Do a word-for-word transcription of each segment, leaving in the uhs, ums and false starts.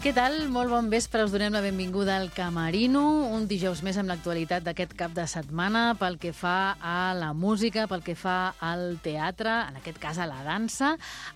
Què tal? Molt bon vespre. Us donem la benvinguda al Camerino, un dijous més amb l'actualitat d'aquest cap de setmana pel que fa a la música, pel que fa al teatre, en aquest cas a la dansa,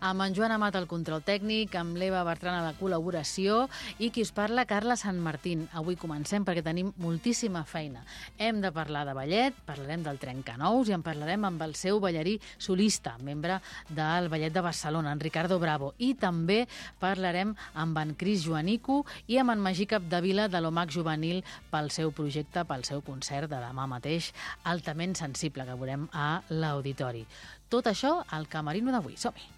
amb en Joan Amat al control tècnic, amb l'Eva Bertran a la col·laboració i qui us parla, Carla Sant Martín. Avui comencem perquè tenim moltíssima feina. Hem de parlar de ballet, parlarem del Trencanous i en parlarem amb el seu ballarí solista, membre del Ballet de Barcelona, en Ricardo Bravo. I també parlarem amb en Cris Joan Anico i amb en Magí Capdevila de l'O M A C Juvenil pel seu projecte, pel seu concert de demà mateix, altament sensible, que veurem a l'auditori. Tot això al Camerino d'avui. Som-hi!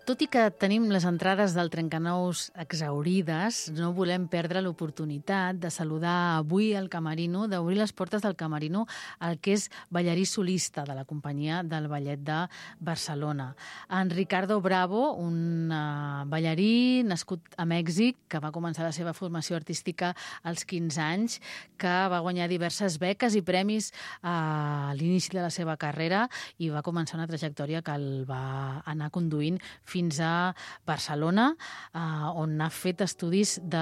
Tot i que tenim les entrades del Trencanous exhaurides, no volem perdre l'oportunitat de saludar avui al Camerino, d'obrir les portes del Camerino al que és ballarí solista de la companyia del Ballet de Barcelona. En Ricardo Bravo, un uh, ballarí nascut a Mèxic, que va començar la seva formació artística als quinze anys, que va guanyar diverses beques i premis a l'inici de la seva carrera i va començar una trajectòria que el va anar conduint fins fins a Barcelona, eh, on ha fet estudis de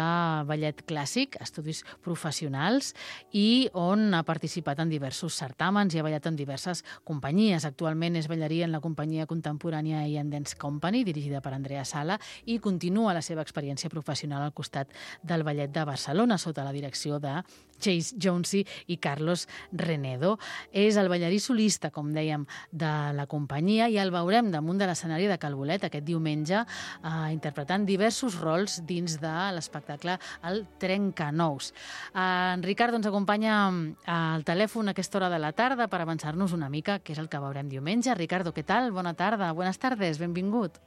ballet clàssic, estudis professionals, i on ha participat en diversos certàmens i ha ballat en diverses companyies. Actualment és ballarí en la companyia contemporània I and Dance Company, dirigida per Andrea Sala, i continua la seva experiència professional al costat del Ballet de Barcelona, sota la direcció de Chase Jonesy i Carlos Renedo. És el ballarí solista, com dèiem, de la companyia, i el veurem damunt de l'escenari de Cal Bolet aquest diumenge, eh, interpretant diversos rols dins de l'espectacle El Trencanous. Eh, en Ricardo ens acompanya al telèfon a aquesta hora de la tarda per avançar-nos una mica què és el que veurem diumenge. Ricardo, què tal? Bona tarda. Buenas tardes, benvingut.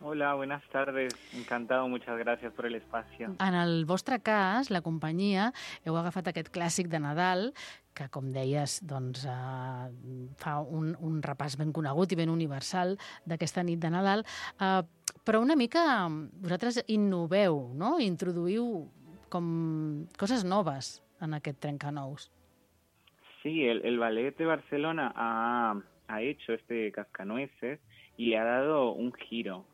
Hola, buenas tardes. Encantado, muchas gracias por el espacio. En el vostre cas, la companyia, heu agafat aquest clàssic de Nadal, que, com deies, doncs, eh, fa un, un repàs ben conegut i ben universal d'aquesta nit de Nadal, eh, però una mica vosaltres innoveu, no? Introduïu com coses noves en aquest Trencanous. Sí, el, el Ballet de Barcelona ha, ha hecho este cascanueces y le ha dado un giro.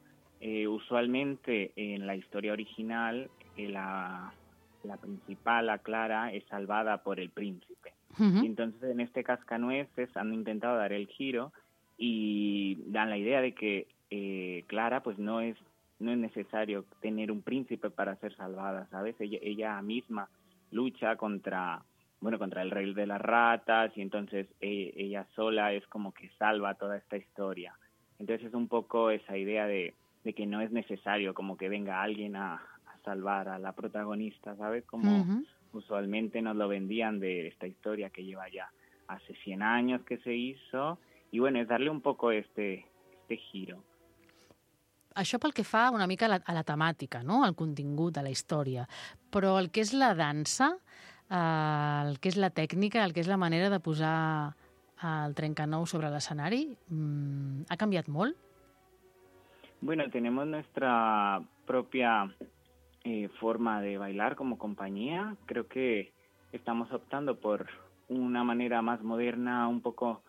Eh, usualmente en la historia original eh, la, la principal, la Clara, es salvada por el príncipe. Uh-huh. Y entonces en este cascanueces han intentado dar el giro y dan la idea de que eh, Clara pues no es no es necesario tener un príncipe para ser salvada, ¿sabes? Ella, ella misma lucha contra bueno contra el rey de las ratas y entonces eh, ella sola es como que salva toda esta historia. Entonces es un poco esa idea de de que no es necesario como que venga alguien a, a salvar a la protagonista, ¿sabes? Como uh-huh. usualmente nos lo vendían de esta historia que lleva ya hace cien años que se hizo, y bueno, es darle un poco este, este giro. Això pel que fa una mica a la, a la temàtica, no? Al contingut, a la història. Però el que és la dansa, eh, el que és la tècnica, el que és la manera de posar el Trencanous sobre l'escenari, mmm, ha canviat molt? Bueno, tenemos nuestra propia eh, forma de bailar como compañía. Creo que estamos optando por una manera más moderna, un poco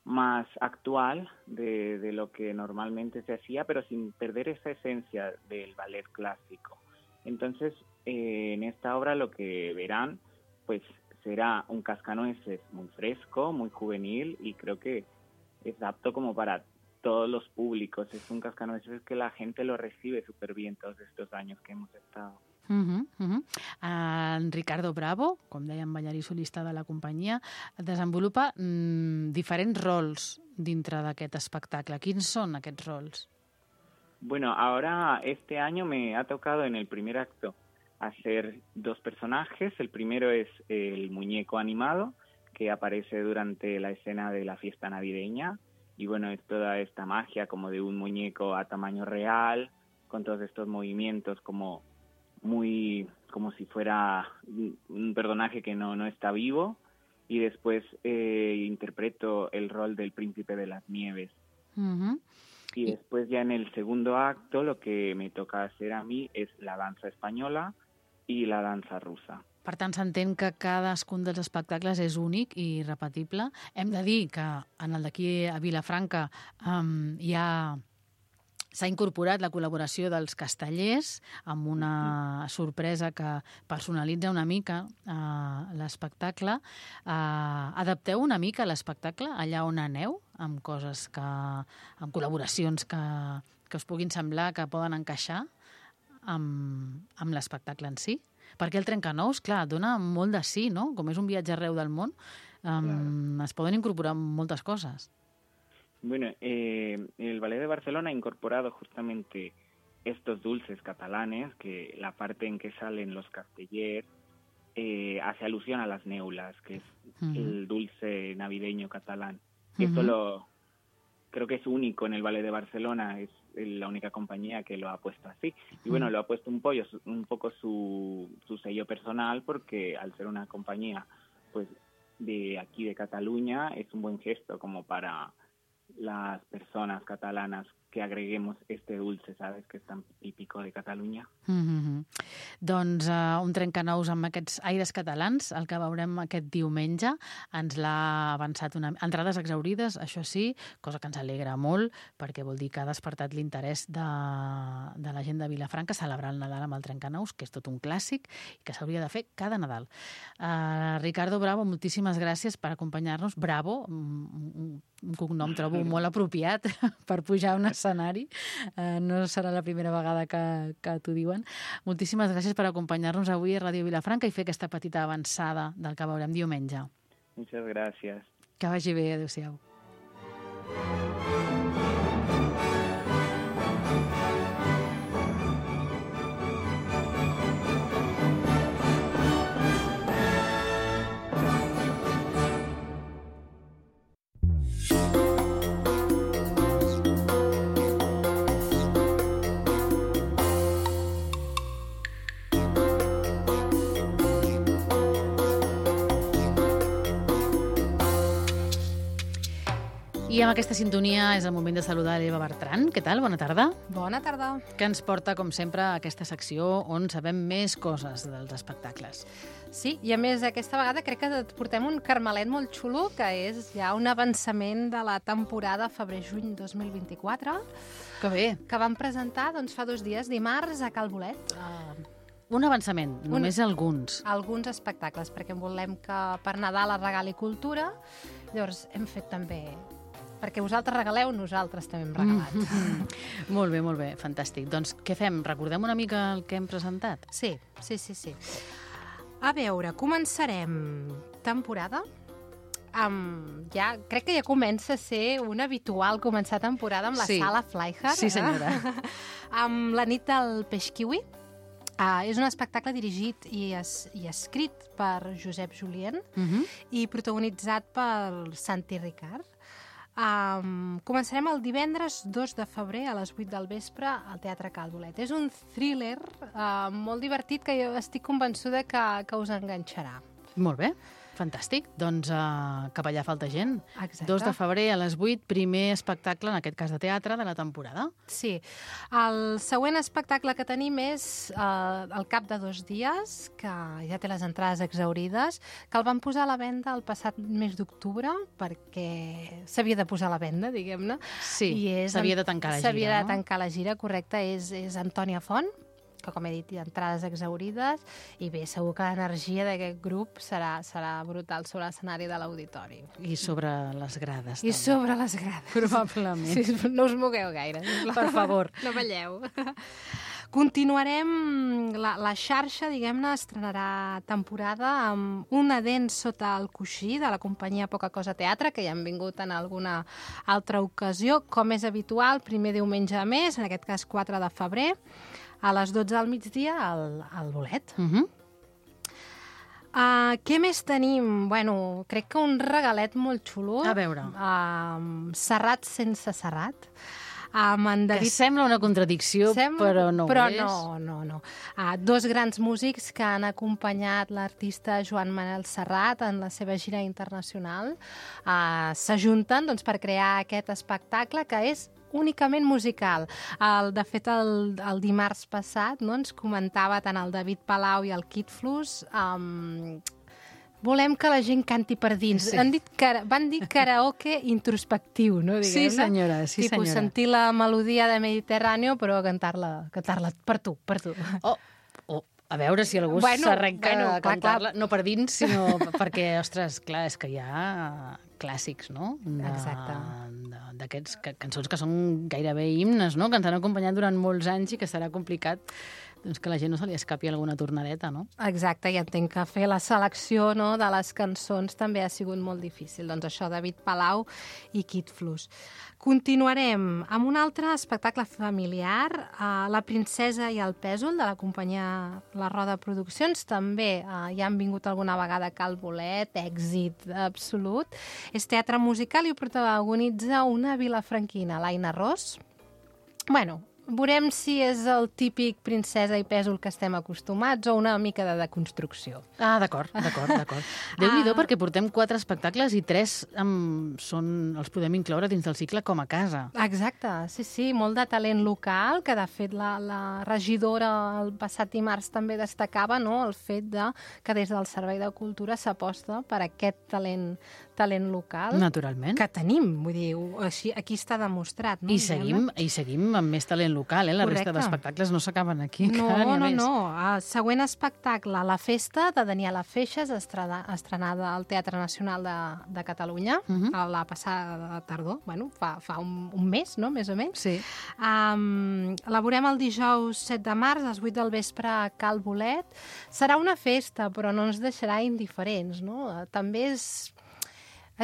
más actual de, de lo que normalmente se hacía, pero sin perder esa esencia del ballet clásico. Entonces, eh, en esta obra lo que verán, pues será un cascanueces muy fresco, muy juvenil, y creo que es apto como para todos los públicos. Es un cascanueces que la gente lo recibe súper bien todos estos años que hemos estado. Uh-huh, uh-huh. En Ricardo Bravo, com dèiem, ballarí solista de la companyia, desenvolupa mm, diferents rols dintre d'aquest espectacle. Quins són aquests rols? Bueno, ahora este año me ha tocado en el primer acto hacer dos personajes. El primero es el muñeco animado, que aparece durante la escena de la fiesta navideña. Y bueno, es toda esta magia como de un muñeco a tamaño real, con todos estos movimientos como muy como si fuera un personaje que no, no está vivo. y después eh, interpreto el rol del príncipe de las nieves. Uh-huh. Y después ya en el segundo acto lo que me toca hacer a mí es la danza española i la dansa russa. Per tant, s'entén que cadascun dels espectacles és únic i irrepetible. Hem de dir que en el d'aquí a Vilafranca um, hi ha... s'ha incorporat la col·laboració dels castellers amb una sorpresa que personalitza una mica uh, l'espectacle. Uh, adapteu una mica l'espectacle allà on aneu, amb coses que... amb col·laboracions que, que us puguin semblar que poden encaixar amb, amb l'espectacle en si? Perquè el Trencanous, clar, dona molt de sí, no? Com és un viatge arreu del món, um, claro. Es poden incorporar moltes coses. Bueno, eh, el Ballet de Barcelona ha incorporado justamente estos dulces catalanes, que la parte en que salen los castellers eh, hace alusión a las neulas, que es uh-huh. el dulce navideño catalán. Uh-huh. Esto lo, creo que es único en el Ballet de Barcelona, es la única compañía que lo ha puesto así. Y bueno, lo ha puesto un, pollo, un poco su, su sello personal, porque al ser una compañía pues de aquí de Cataluña es un buen gesto como para las personas catalanas que agreguemos este dulce, ¿sabes?, que és tan típico de Catalunya. Mm-hmm. Doncs uh, un Trencanous amb aquests aires catalans, el que veurem aquest diumenge, ens l'ha avançat una... Entrades exaurides, això sí, cosa que ens alegra molt, perquè vol dir que ha despertat l'interès de, de la gent de Vilafranca celebrar el Nadal amb el Trencanous, que és tot un clàssic i que s'hauria de fer cada Nadal. Uh, Ricardo Bravo, moltíssimes gràcies per acompanyar-nos. Bravo, un, un cognom trobo molt apropiat per pujar a un escenari. Uh, no serà la primera vegada que, que t'ho diuen. Moltíssimes gràcies per acompanyar-nos avui a Ràdio Vilafranca i fer aquesta petita avançada del que veurem diumenge. Muchas gracias. Que vagi bé, adéu-siau. I amb aquesta sintonia és el moment de saludar l'Eva Bertran. Què tal? Bona tarda. Bona tarda. Que ens porta, com sempre, a aquesta secció on sabem més coses dels espectacles. Sí, i a més aquesta vegada crec que et portem un carmelet molt xulo, que és ja un avançament de la temporada febrer-juny dos mil vint-i-quatre. Que bé. Que vam presentar doncs, fa dos dies, dimarts, a Cal Bolet. Uh, un avançament, només un, alguns. Alguns espectacles, perquè volem que per Nadal es regali cultura. Llavors hem fet també... Perquè vosaltres regaleu, nosaltres també hem regalat. Mm-hmm. Molt bé, molt bé, fantàstic. Doncs què fem? Recordem una mica el que hem presentat? Sí, sí, sí, sí. A veure, començarem temporada amb... Ja, crec que ja comença a ser un habitual començar temporada amb la sí. Sala Flyhard. Sí, senyora. Eh? Amb la nit del peix kiwi. Uh, és un espectacle dirigit i, es, i escrit per Josep Julien uh-huh. i protagonitzat per Santi Ricard. Um, començarem el divendres dos de febrer a les vuit del vespre al Teatre Cal Bolet. És un thriller uh, molt divertit que jo estic convençuda que, que us enganxarà. Molt bé, fantàstic. Doncs uh, cap allà falta gent. Exacte. dos de febrer a les vuit, primer espectacle, en aquest cas de teatre, de la temporada. Sí. El següent espectacle que tenim és uh, al cap de dos dies, que ja té les entrades exaurides, que el van posar a la venda el passat mes d'octubre, perquè s'havia de posar a la venda, diguem-ne. Sí, s'havia de tancar la gira, S'havia de no? tancar la gira, correcte. És, és Antònia Font, que, com he dit, hi ha entrades exaurides, i bé, segur que l'energia d'aquest grup serà, serà brutal sobre l'escenari de l'auditori. I sobre les grades. I també. sobre les grades. Probablement. Sí, no us mogueu gaire. Per favor. No balleu. Continuarem, la, la xarxa, diguem-ne, estrenarà temporada amb Una dent sota el coixí, de la companyia Poca Cosa Teatre, que ja han vingut en alguna altra ocasió, com és habitual, primer diumenge de mes, en aquest cas quatre de febrer, a les dotze del migdia al, al Bolet. Uh-huh. Uh, què més tenim? Bueno, crec que un regalet molt xulo. A veure. Uh, Serrat sense Serrat. amb en David... Que sembla una contradicció, sembla, però no però ho és. no, no, no. Uh, dos grans músics que han acompanyat l'artista Joan Manel Serrat en la seva gira internacional uh, s'ajunten doncs, per crear aquest espectacle que és únicament musical. El, de fet, el, el dimarts passat no, ens comentava tant el David Palau i el Kid Flus um, volem que la gent canti per dins. Sí. Han dit, van dir karaoke introspectiu, no? Diguem, sí, senyora, sí, Tipus, senyora. sentir la melodia de Mediterráneo, però cantar-la cantar-la per tu, per tu. Oh, oh. A veure si algú bueno, s'arrenca bueno, a cantar-la, clar. no per dins, sinó perquè, ostres, clar, és que hi ha clàssics, no? De, Exacte. D'aquests cançons que són gairebé himnes, no? Que ens han acompanyat durant molts anys i que serà complicat doncs, que la gent no se li escapi alguna tornadeta, no? Exacte, i entenc que fer la selecció no, de les cançons també ha sigut molt difícil. Doncs això, David Palau i Kid Flus. Continuarem amb un altre espectacle familiar, uh, La princesa i el pèsol, de la companyia La Roda Produccions. També uh, ja han vingut alguna vegada a Cal Bolet, èxit absolut. És teatre musical i ho protagonitza una vilafranquina, l'Aina Ros. Bueno, veurem si és el típic princesa i pèsol que estem acostumats o una mica de deconstrucció. Ah, d'acord, d'acord, d'acord. Déu-n'hi-do, ah. perquè portem quatre espectacles i tres um, són, els podem incloure dins del cicle com a casa. Exacte, sí, sí, molt de talent local, que de fet la, la regidora el passat dimarts també destacava no, el fet de que des del Servei de Cultura s'aposta per aquest talent talent local. Naturalment. Que tenim, vull dir, així, aquí està demostrat. No? I seguim, I seguim amb més talent local, eh? La Correcte. resta d'espectacles no s'acaben aquí. No, no, no, no. El següent espectacle, La festa, de Daniela Feixes, estrena, estrenada al Teatre Nacional de, de Catalunya, uh -huh. a la passada tardor, bueno, fa, fa un, un mes, no?, més o menys. Sí. Um, la veurem el dijous set de març, a les vuit del vespre, a Cal Bolet. Serà una festa, però no ens deixarà indiferents, no? També és...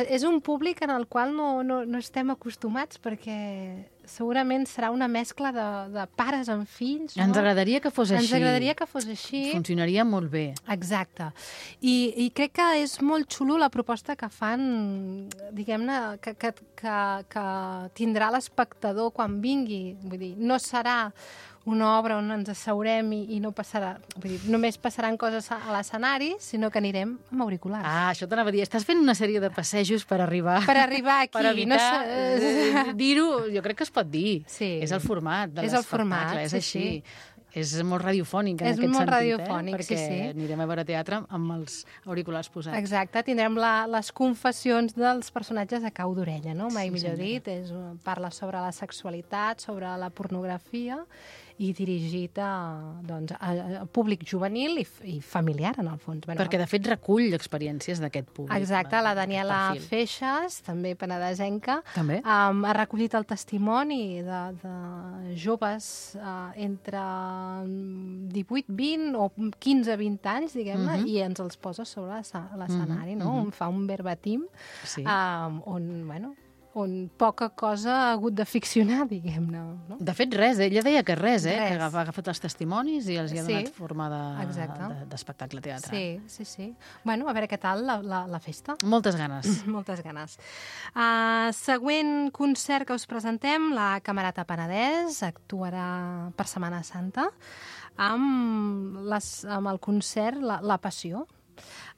És un públic en el qual no, no, no estem acostumats perquè segurament serà una mescla de, de pares amb fills. No? Ens agradaria que fos així. Ens agradaria que fos així. Funcionaria molt bé. Exacte. I, i crec que és molt xulo la proposta que fan, diguem-ne, que, que, que, que tindrà l'espectador quan vingui. Vull dir, no serà una obra on ens asseurem i, i no passarà, vull dir, només passaran coses a l'escenari, sinó que anirem amb auriculars. Ah, això t'anava a dir. Estàs fent una sèrie de passejos per arribar... Per arribar aquí. Per evitar no eh, dir-ho, jo crec que es pot dir. Sí. És el format de és l'espectacle, és sí, així. Sí. És molt radiofònic en és aquest molt sentit, radiofònic, eh? Perquè sí, sí. anirem a veure teatre amb els auriculars posats. Exacte, tindrem la, les confessions dels personatges a cau d'orella, no? Mai Sí, millor senyora. dit, és, parla sobre la sexualitat, sobre la pornografia i dirigit a, doncs, a, a públic juvenil i, i familiar, en el fons. Bueno, Perquè, de fet, recull experiències d'aquest públic. exacte, la Daniela perfil. Feixes, també penedesenca, També? um, ha recollit el testimoni de, de joves uh, entre divuit, vint o quinze, vint anys, diguem-ne, Mhm. i ens els posa sobre l'escenari, no? Mhm. On fa un verbatim Sí. um, on, bueno, on poca cosa ha hagut de ficcionar, diguem-ne. No? De fet, res. Ella deia que res, eh? Res. Que ha agafat els testimonis i els hi ha Sí. donat forma de- Exacte. de- d'espectacle teatre. Sí, sí, sí. Bueno, a veure què tal la, la, la festa. Moltes ganes. Moltes ganes. Uh, següent concert que us presentem, la Camerata Penedès actuarà per Setmana Santa amb, les, amb el concert La, la Passió.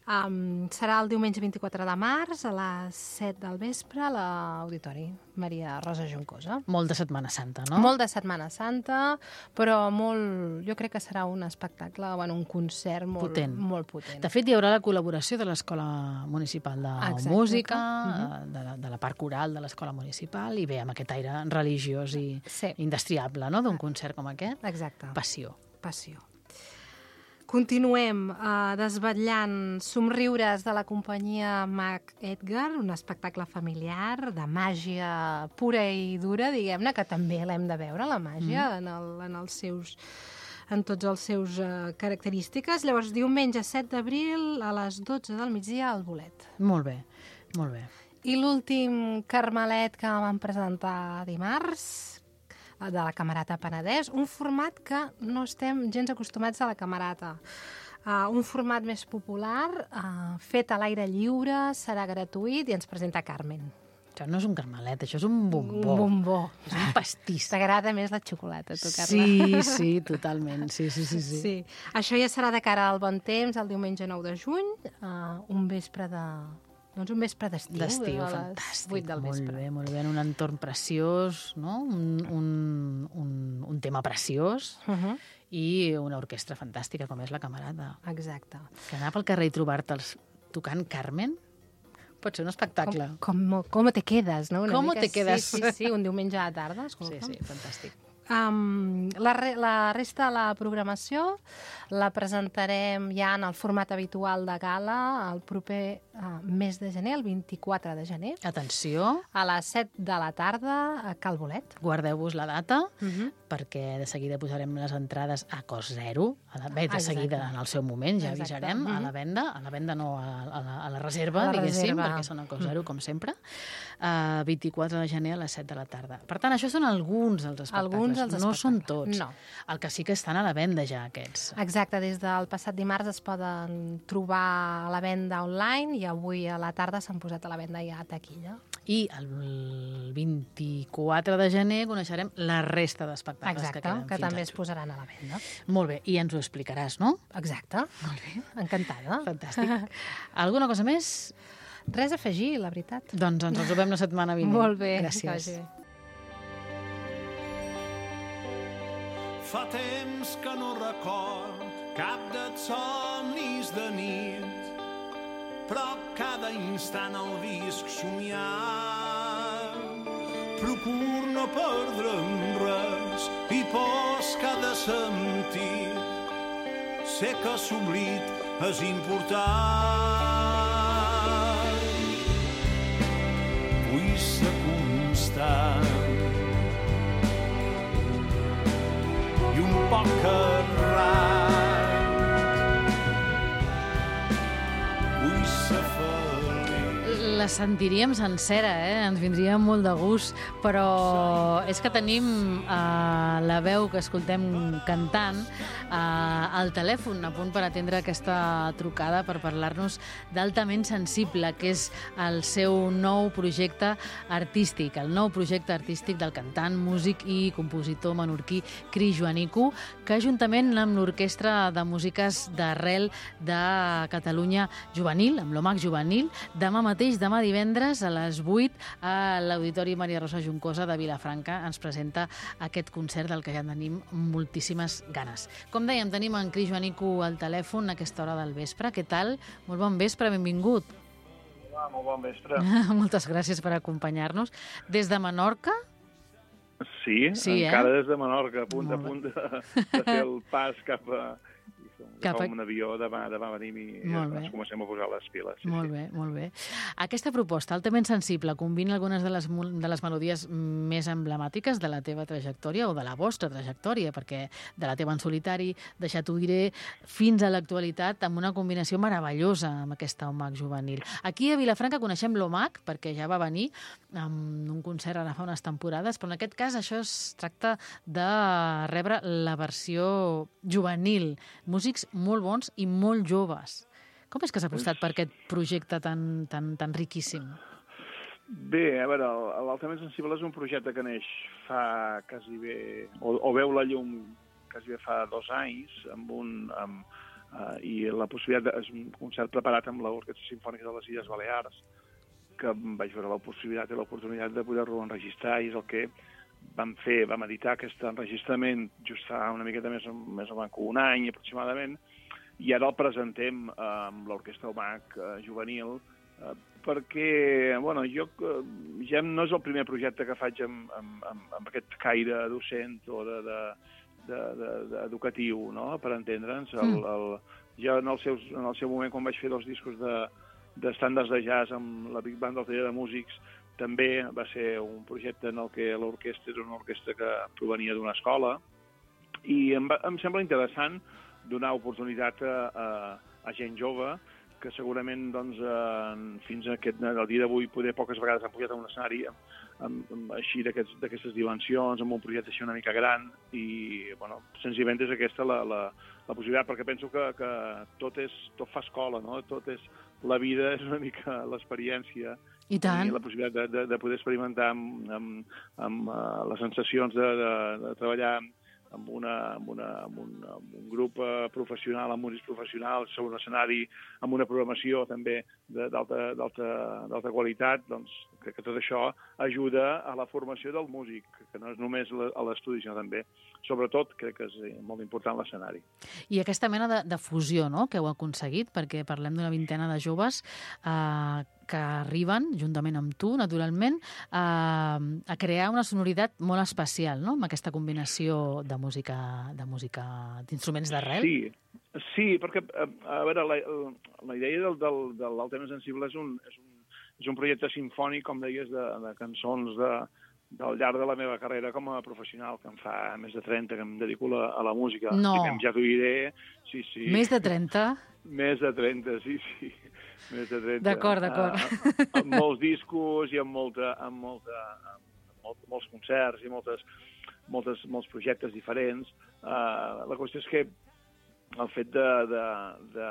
Um, serà el diumenge vint-i-quatre de març a les set del vespre a l'Auditori Maria Rosa Juncosa. Molt de Setmana Santa, no? Molt de Setmana Santa, però molt, jo crec que serà un espectacle, bueno, un concert molt Potent. molt potent. De fet, hi haurà la col·laboració de l'Escola Municipal de Exacte. Música, Mhm. de, la, de la part coral de l'Escola Municipal, i bé, amb aquest aire religiós i Sí. indestriable, no?, d'un concert com aquest. Exacte. Passió. Passió. Continuem uh, desvetllant somriures de la companyia Mac Edgar, un espectacle familiar de màgia pura i dura, diguem-ne, que també l'hem de veure, la màgia, mm. en, el, en els seus en tots els seus uh, característiques. Llavors, diumenge set d'abril a les dotze del migdia al Bolet. Molt bé, molt bé. I l'últim Carmelet que vam presentar dimarts, de la Camerata Penedès, un format que no estem gens acostumats a la Camerata. Uh, un format més popular, uh, fet a l'aire lliure, serà gratuït i ens presenta Carmen. Això no és un carmelet, això és un bombó. Un bombó. És un pastís. T'agrada més la xocolata, tu, Carla? Sí, sí, totalment. Sí, sí, sí, sí. sí. Això ja serà de cara al bon temps, el diumenge nou de juny, uh, un vespre de... Doncs un vespre d'estiu. D'estiu, a les fantàstic. vuit del vespre. Molt bé, molt bé. En un entorn preciós, no? Un, un, un, un tema preciós Uh -huh. i una orquestra fantàstica, com és la Camarada. Exacte. Que anar pel carrer i trobar-te'ls tocant Carmen pot ser un espectacle. Com, com, com te quedes, no? Una Com mica, te quedes? Sí, sí, sí, un diumenge a la tarda, escolta. Sí, sí, fantàstic. Um, la, re, la resta de la programació la presentarem ja en el format habitual de gala el proper uh, mes de gener, el vint-i-quatre de gener, Atenció, a les set de la tarda a Cal Bolet. guardeu-vos la data, Uh -huh. perquè de seguida posarem les entrades a cost zero, a la, bé, de Exacte. seguida en el seu moment, ja Exacte. avisarem, a la Mhm. venda, a la venda no, a, a, la, a la reserva, A la diguéssim, reserva. perquè són a cost zero, com sempre, uh, vint-i-quatre de gener a les set de la tarda. Per tant, això són alguns dels espectacles, Alguns dels no són espectacles. tots. No. El que sí que estan a la venda ja, aquests. Exacte, des del passat dimarts es poden trobar a la venda online i avui a la tarda s'han posat a la venda ja a taquilla. I el vint-i-quatre de gener coneixerem la resta d'espectacles Exacte, que queden que fins també al es posaran a la venda. Molt bé, i ens ho explicaràs, no? Exacte. Molt bé. Encantada. Fantàstic. Alguna cosa més? Res a afegir, la veritat. Doncs ens trobem la setmana vinent. Molt bé. Gràcies. que vagi bé. Fa temps que no record cap dels somnis de nit, però cada instant el visc somiant. Procur no perdre'm res i pos que ha de sentir. Sé que s'oblit és important. Vull ser constant i un poc errat. Vull ser feliç. La sentiríem sencera, eh? Ens vindria molt de gust, però és que tenim eh, la veu que escoltem cantant eh, al telèfon, a punt per atendre aquesta trucada per parlar-nos d'Altament Sensible, que és el seu nou projecte artístic, el nou projecte artístic del cantant, músic i compositor menorquí Cris Joanico, que juntament amb l'Orquestra de Músiques d'Arrel de Catalunya Juvenil, amb l'O M A C Juvenil, demà mateix, demà divendres a les vuit a l'Auditori Maria Rosa Juncosa de Vilafranca ens presenta aquest concert del que ja tenim moltíssimes ganes. Com dèiem, tenim en Cris Joanico al telèfon a aquesta hora del vespre. Què tal? Molt bon vespre, benvingut. Hola, molt bon vespre. Moltes gràcies per acompanyar-nos. Des de Menorca? Sí, Sí, encara eh? des de Menorca, a punt a Molt bé. punt de, de fer el pas cap a... Cap a- Cap a un avió, demà, demà venim i Molt ja bé. ens comencem a posar les piles. Sí, Molt sí. bé, molt bé. Aquesta proposta, Altament Sensible, combina algunes de les, mo- de les melodies més emblemàtiques de la teva trajectòria o de la vostra trajectòria, perquè de la teva en solitari, Deixar t'ho diré, fins a l'actualitat, amb una combinació meravellosa amb aquesta O M A C juvenil. Aquí a Vilafranca coneixem l'O M A C, perquè ja va venir amb un concert ara fa unes temporades, però en aquest cas això es tracta de rebre la versió juvenil. Músics molt bons i molt joves. Com és que s'ha apostat per aquest projecte tan, tan, tan riquíssim? Bé, a veure, el- l'Altament Sensible és un projecte que neix fa quasi bé, o, o veu la llum quasi bé fa dos anys, amb un, amb, uh, i la possibilitat, de, és un concert preparat amb l'Orquestra Simfònica de les Illes Balears, que vaig veure la possibilitat i l'oportunitat de poder-lo enregistrar, i és el que vam fer, vam editar aquest enregistrament just fa una miqueta més, més o menys un any aproximadament, i ara el presentem eh, amb l'Orquestra O M A C eh, juvenil, eh, perquè, bueno, jo eh, ja no és el primer projecte que faig amb, amb, amb, amb aquest caire docent o de, de, de, de, de educatiu, no?, per entendre'ns. El, el, jo en el, seus, en el seu moment, quan vaig fer dos discos de, d'estàndards de jazz amb la Big Band del Taller de Músics, també va ser un projecte en el que l'orquestra era una orquestra que provenia d'una escola, i em, va, em sembla interessant donar oportunitat a, a, a gent jove que segurament doncs, eh, fins a aquest, el dia d'avui poder poques vegades han pujat a un escenari amb, amb, amb, així d'aquestes aquests, dimensions, amb un projecte així una mica gran, i bueno, senzillament és aquesta la, la, la possibilitat, perquè penso que, que tot, és, tot fa escola, no? Tot és, la vida és una mica l'experiència. I tant. la possibilitat de, de, de poder experimentar amb, amb, amb uh, les sensacions de, de, de treballar amb, una, amb, una, amb, un, amb un grup uh, professional, amb músics professionals, sobre un escenari, amb una programació també d'alta qualitat, doncs crec que tot això ajuda a la formació del músic, que no és només a l'estudi, sinó també, sobretot, crec que és molt important l'escenari. I aquesta mena de, de fusió, no?, que heu aconseguit, perquè parlem d'una vintena de joves eh, que arriben, juntament amb tu, naturalment, eh, a crear una sonoritat molt especial, no?, amb aquesta combinació de música, de música d'instruments d'arrel. Sí, sí, perquè, a, a veure, la, la idea del, del, de l'Altament Sensible és un, és un, és un projecte sinfònic, com deies, de, de cançons de, del llarg de la meva carrera com a professional, que em fa més de trenta, que em dedico a, a la música. No. Diguem, ja t'ho diré. Sí, sí. Més de trenta? Més de trenta, sí, sí. Més de trenta. D'acord, d'acord. Uh, amb molts discos i amb, molta, amb, molta, amb molt, molts concerts i moltes, moltes, molts projectes diferents. Uh, la qüestió és que el fet de, de, de,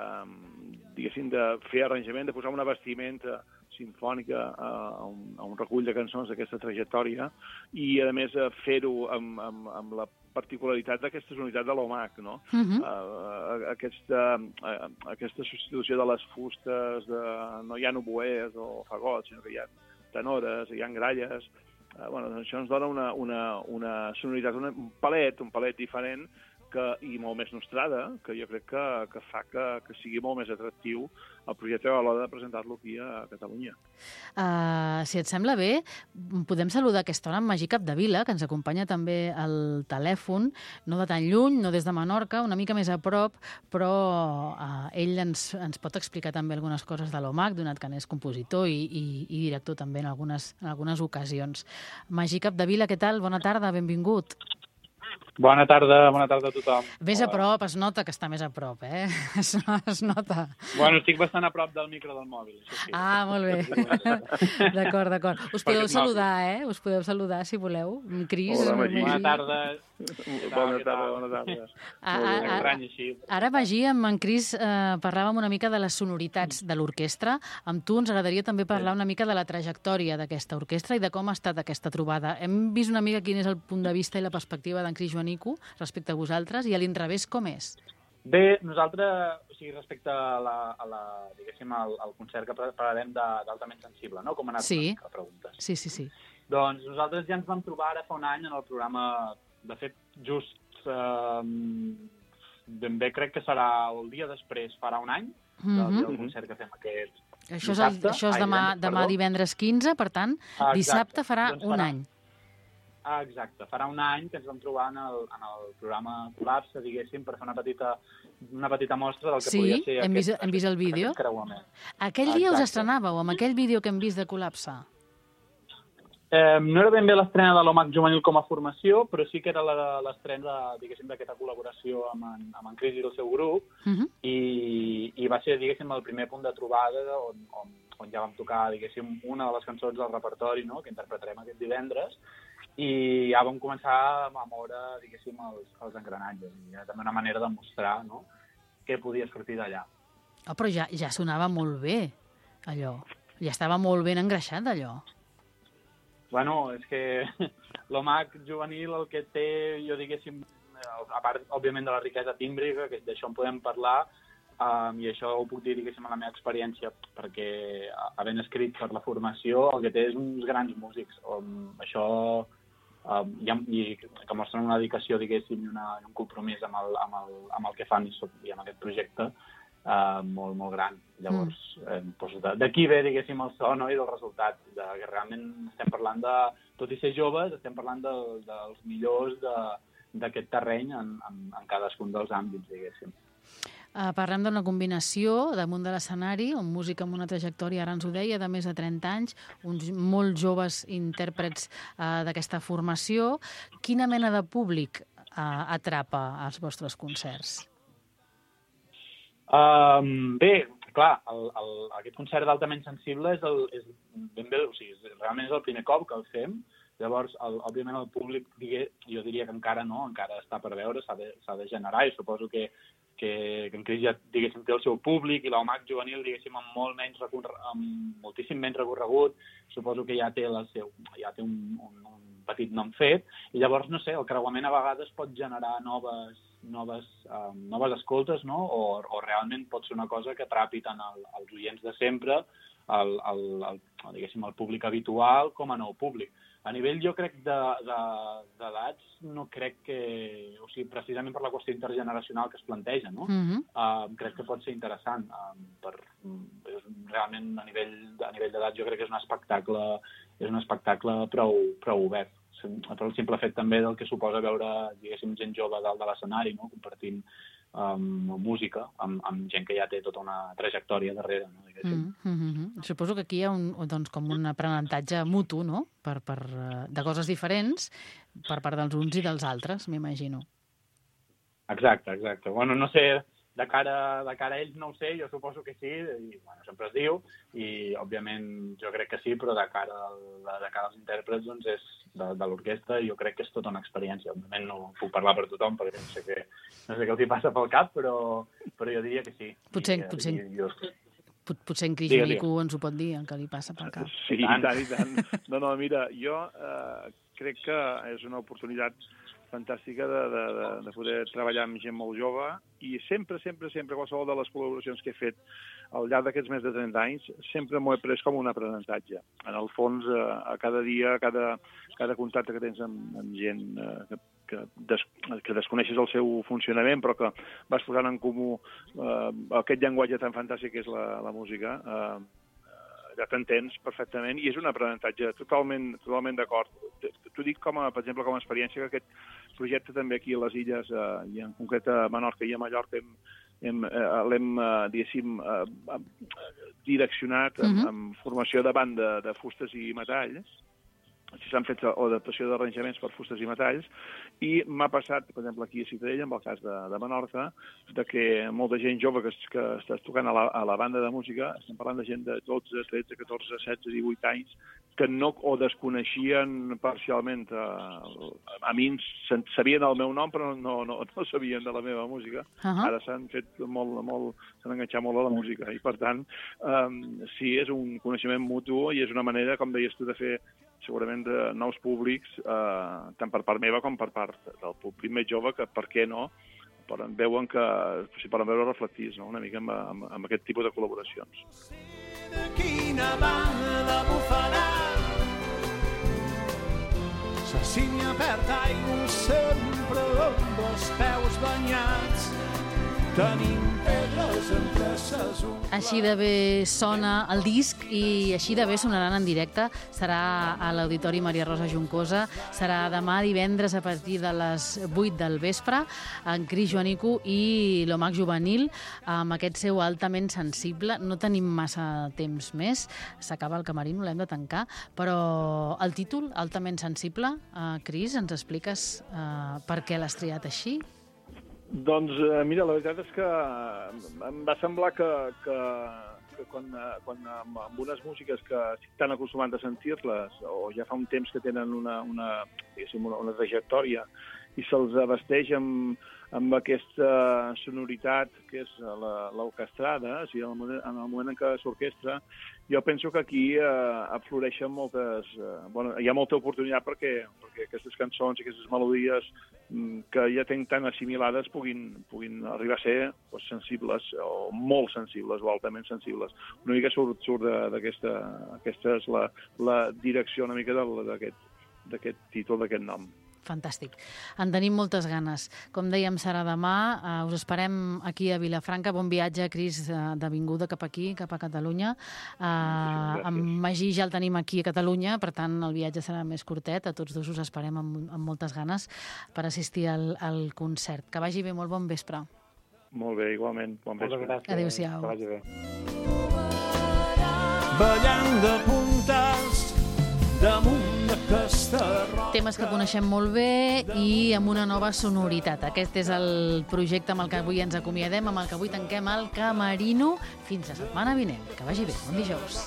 diguéssim, de fer arranjament, de posar una vestimenta sinfònica a un, a un recull de cançons d'aquesta trajectòria i, a més, fer-ho amb, amb, amb la particularitat d'aquesta unitat de l'O M A C, no? Uh-huh. uh, aquesta, uh, aquesta substitució de les fustes, de, no hi ha oboès o fagots, sinó que hi ha tenores, hi ha gralles. Uh, bueno, doncs això ens dona una, una, una sonoritat, una, un palet, un palet diferent, que, i molt més nostrada, que jo crec que, que fa que, que sigui molt més atractiu el projecte a l'hora de presentar-lo aquí a Catalunya. Uh, si et sembla bé, podem saludar a aquesta hora en Magí Capdevila, que ens acompanya també al telèfon, no de tan lluny, no des de Menorca, una mica més a prop, però uh, ell ens, ens pot explicar també algunes coses de l'O M A C, donat que n'és compositor i, i, i director també en algunes, en algunes ocasions. Magí Capdevila, què tal? Bona tarda, benvingut. Bona tarda, bona tarda a tothom. Més a prop, es nota que està més a prop, eh? Es, es nota. Bueno, estic bastant a prop del micro del mòbil, això sí. Ah, molt bé. D'acord, d'acord. Us podeu saludar, eh? Us podeu saludar, si voleu. Cris, Hola, Magí. Bona tarda. Bona tarda, bona tarda. Ara, Magí, amb en Cris eh, parlàvem una mica de les sonoritats de l'orquestra. Amb tu ens agradaria també parlar una mica de la trajectòria d'aquesta orquestra i de com ha estat aquesta trobada. Hem vist una mica quin és el punt de vista i la perspectiva d'en Cris Joanico respecte a vosaltres, i a l'inrevés com és? Bé, nosaltres, o sigui, respecte a la, a la diguéssim, al, al concert que parlarem d'Altament Sensible, no? Com ha anat sí. la pregunta. Sí, sí, sí. Doncs nosaltres ja ens vam trobar ara fa un any en el programa, de fet, just eh, ben bé crec que serà el dia després, farà un any, del, mm-hmm. del concert que fem aquest això és, el, això és demà, Ai, demà divendres quinze, per tant, ah, dissabte farà doncs un farà, any. Ah, exacte, farà un any que ens vam trobar en el, en el programa Col·lapse, diguéssim, per fer una petita, una petita mostra del que sí, podia ser hem aquest, vist, hem vist el vídeo. Aquell dia us estrenàveu, amb aquell vídeo que hem vist de Col·lapse? Eh, no era ben bé l'estrena de l'O M A C juvenil com a formació, però sí que era l'estrena, diguéssim, d'aquesta col·laboració amb en, amb en Cris i el seu grup, uh-huh. i, i va ser, diguéssim, el primer punt de trobada on, on, on ja vam tocar, diguéssim, una de les cançons del repertori, no?, que interpretarem aquest divendres, i ja vam començar a moure, diguéssim, els, els engranatges. I era també una manera de mostrar, no?, què podia sortir d'allà. Oh, però ja, ja sonava molt bé, allò. Ja estava molt ben engreixat, allò. Bueno, és que l'O M A C juvenil el que té, jo diguéssim, a part, òbviament, de la riquesa tímbrica, que d'això en podem parlar, um, i això ho puc dir, diguéssim, a la meva experiència, perquè havent escrit per la formació, el que té és uns grans músics. Um, això, um, i, i que mostren una dedicació, diguéssim, i una, un compromís amb el, amb, el, amb el que fan i, i amb aquest projecte, Uh, molt, molt gran. Llavors, mm. eh, doncs d'aquí ve, diguéssim, el so, no?, i del resultat. De, que realment estem parlant de, tot i ser joves, estem parlant de, dels millors d'aquest terreny en, en, en cadascun dels àmbits, diguéssim. Uh, parlem d'una combinació damunt de l'escenari, un músic amb una trajectòria, ara ens ho deia, de més de trenta anys, uns molt joves intèrprets uh, d'aquesta formació. Quina mena de públic uh, atrapa als vostres concerts? Um, bé, clar, el, el, aquest concert d'Altament Sensible és, el, és ben bé, o sigui, realment és el primer cop que el fem. Llavors, el, òbviament, el públic, digue, jo diria que encara no, encara està per veure, s'ha de, s'ha de generar, i suposo que, que, que en Cris ja, diguéssim, té el seu públic, i l'O M A C juvenil, diguéssim, amb molt menys recorre, amb moltíssim menys recorregut, suposo que ja té, la seu, ja té un, un, un petit nom fet, i llavors, no sé, el creuament a vegades pot generar noves, noves, um, noves escoltes, no? O, o realment pot ser una cosa que atrapi tant el, els oients de sempre, el, el, el, diguéssim, el públic habitual, com a nou públic. A nivell, jo crec, d'edats, de, de, no crec que... O sigui, precisament per la qüestió intergeneracional que es planteja, no? Mm-hmm. uh, crec que pot ser interessant. Uh, per, és, realment, a nivell, a nivell d'edat, jo crec que és un espectacle, és un espectacle prou, prou obert. Per el simple fet també del que suposa veure, diguéssim, gent jove dalt de l'escenari, no? Compartint um, música amb, amb gent que ja té tota una trajectòria darrere, no? Mm -hmm. Suposo que aquí hi ha un, doncs, com un aprenentatge mutu, no? Per, per, de coses diferents per part dels uns i dels altres, m'imagino. Exacte, exacte. Bueno, no sé, de cara, de cara a ells no ho sé, jo suposo que sí, i bueno, sempre es diu, i òbviament jo crec que sí, però de cara, al, de cara als intèrprets doncs és de, de l'orquestra, jo crec que és tota una experiència. Òbviament no puc parlar per tothom, perquè no sé què, no sé què els hi passa pel cap, però, però jo diria que sí. Potser, I, potser, i, jo... potser en Cris Joanico ens ho pot dir, el que li passa pel cap. Sí, i tant, i tant. No, no, mira, jo eh, crec que és una oportunitat fantàstica de, de, de, de poder treballar amb gent molt jove, i sempre, sempre, sempre, qualsevol de les col·laboracions que he fet al llarg d'aquests més de trenta anys, sempre m'ho he pres com un aprenentatge. En el fons, eh, a cada dia, cada, cada contacte que tens amb, amb gent eh, que, que, des, que desconeixes el seu funcionament, però que vas posant en comú eh, aquest llenguatge tan fantàstic que és la, la música, eh, ja t'entens perfectament, i és un aprenentatge totalment, totalment d'acord. T'ho dic, com a, per exemple, com a experiència, que aquest projecte també aquí a les Illes, eh, i en concret a Menorca i a Mallorca, hem, hem, eh, l'hem, eh, diguéssim, eh, direccionat amb, uh-huh. amb formació de banda de fustes i metalls. Si s'han fet o adaptació d'arranjaments per fustes i metalls, i m'ha passat, per exemple, aquí a Ciutadella, amb el cas de, de Menorca, de que molta gent jove que, que està tocant a la, a la banda de música, estem parlant de gent de dotze, tretze, catorze, setze, divuit anys, que no o desconeixien parcialment, eh, a mi sabien el meu nom, però no, no, no sabien de la meva música. Uh-huh. Ara s'han fet molt, molt, s'han enganxat molt a la música, i per tant, eh, sí, és un coneixement mutu, i és una manera, com deies tu, de fer segurament de nous públics, eh, tant per part meva com per part del públic més jove, que per què no, poden, veuen que, si poden veure reflectits, no? Una mica amb, amb, amb aquest tipus de col·laboracions. De quina banda bufarà, la sínia perd aigua sempre amb els peus banyats, tenim pedres entre ses ungles. Així de bé sona el disc, i així de bé sonaran en directe. Serà a l'Auditori Maria Rosa Juncosa, serà demà divendres a partir de les vuit del vespre, en Cris Joanico i l'O M A C juvenil, amb aquest seu Altament sensible. No tenim massa temps més, s'acaba el Camerino, l'hem de tancar, però el títol, Altament sensible, eh, Cris, ens expliques eh, per què l'has triat així? Doncs, eh, mira, la veritat és que em va semblar que, que, que quan, quan amb, amb unes músiques que estan acostumant a sentir-les, o ja fa un temps que tenen una, una, una, una trajectòria, i se'ls abasteix amb, amb aquesta sonoritat que és l'orquestrada, o sigui, en el moment, en el moment en què s'orquestra, jo penso que aquí eh, afloreixen moltes... Eh, bueno, hi ha molta oportunitat perquè, perquè aquestes cançons i aquestes melodies mm, que ja tenc tan assimilades puguin, puguin arribar a ser pues, sensibles, o molt sensibles, o altament sensibles. Una mica surt, surt d'aquesta... Aquesta és la, la direcció una mica d'aquest títol, d'aquest nom. Fantàstic. En tenim moltes ganes. Com dèiem, serà demà. Uh, us esperem aquí a Vilafranca. Bon viatge, Cris, uh, de vinguda cap aquí, cap a Catalunya. Uh, amb Magí ja el tenim aquí a Catalunya, per tant, el viatge serà més curtet. A tots dos us esperem amb, amb moltes ganes per assistir al, al concert. Que vagi bé, molt bon vespre. Molt bé, igualment. Bon vespre. Adéu-siau. Que vagi bé. Ballant de puntes damunt d'aquesta roca. Temes que coneixem molt bé i amb una nova sonoritat. Aquest és el projecte amb el que avui ens acomiadem, amb el que avui tanquem el Camerino. Fins la setmana vinent. Que vagi bé. Bon dijous.